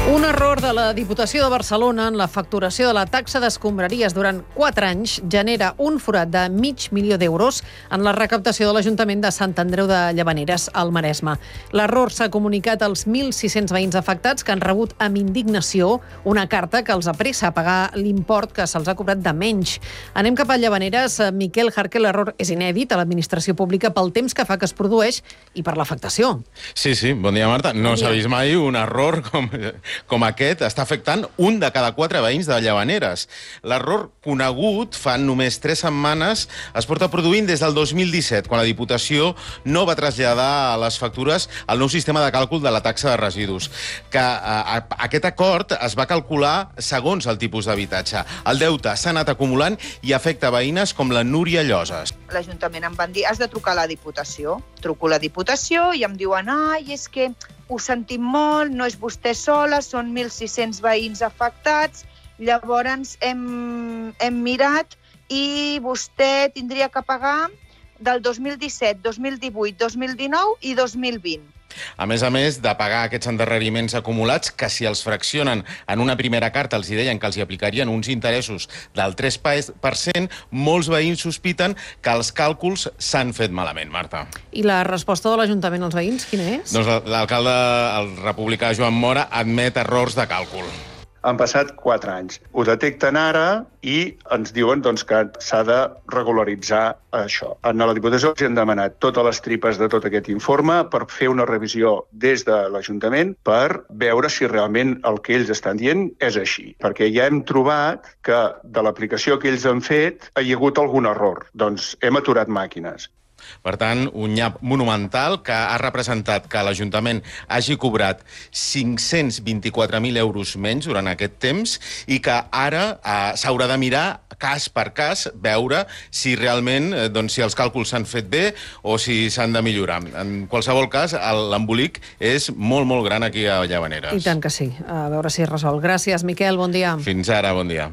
Un error de la Diputació de Barcelona en la facturació de la taxa d'escombraries durant 4 anys genera un forat de $500.000 en la recaptació de l'Ajuntament de Sant Andreu de Llavaneres, al Maresme. L'error s'ha comunicat als 1.600 veïns afectats que han rebut amb indignació una carta que els apressa a pagar l'import que se'ls ha cobrat de menys. Anem cap a Llavaneres. Miquel Jarque, l'error és inèdit a l'administració pública pel temps que fa que es produeix i per l'afectació. Sí, bon dia, Marta. No s'ha vist mai un error com aquest. Està afectant un de cada 4 veïns de Llavaneres. L'error conegut fa només 3 setmanes es porta produint des del 2017, quan la Diputació no va traslladar a les factures el nou sistema de càlcul de la taxa de residus. Aquest acord es va calcular segons el tipus d'habitatge. El deute s'ha anat acumulant i afecta veïnes com la Núria Lloses. L'Ajuntament em van dir, has de trucar a la Diputació. Truco a la Diputació i em diuen, és que ho sentim molt, no és vostè sola, són 1.600 veïns afectats, llavors hem mirat i vostè tindria que pagar del 2017, 2018, 2019 i 2020. A més, de pagar aquests endarreriments acumulats, que si els fraccionen en una primera carta els deien que els hi aplicarien uns interessos del 3%, molts veïns sospiten que els càlculs s'han fet malament, Marta. I la resposta de l'Ajuntament als veïns, quina és? Doncs l'alcalde, el republicà Joan Mora, admet errors de càlcul. Han passat 4 anys. Ho detecten ara i ens diuen que s'ha de regularitzar això. A la Diputació els han demanat totes les tripes de tot aquest informe per fer una revisió des de l'Ajuntament per veure si realment el que ells estan dient és així. Perquè ja hem trobat que de l'aplicació que ells han fet hi ha hagut algun error. Doncs hem aturat màquines. Per tant, un nyap monumental que ha representat que l'Ajuntament hagi cobrat 524.000 euros menys durant aquest temps i que ara s'haurà de mirar cas per cas, veure si realment si els càlculs s'han fet bé o si s'han de millorar. En qualsevol cas, l'embolic és molt, molt gran aquí a Llavaneres. I tant que sí. A veure si es resol. Gràcies, Miquel. Bon dia. Fins ara, bon dia.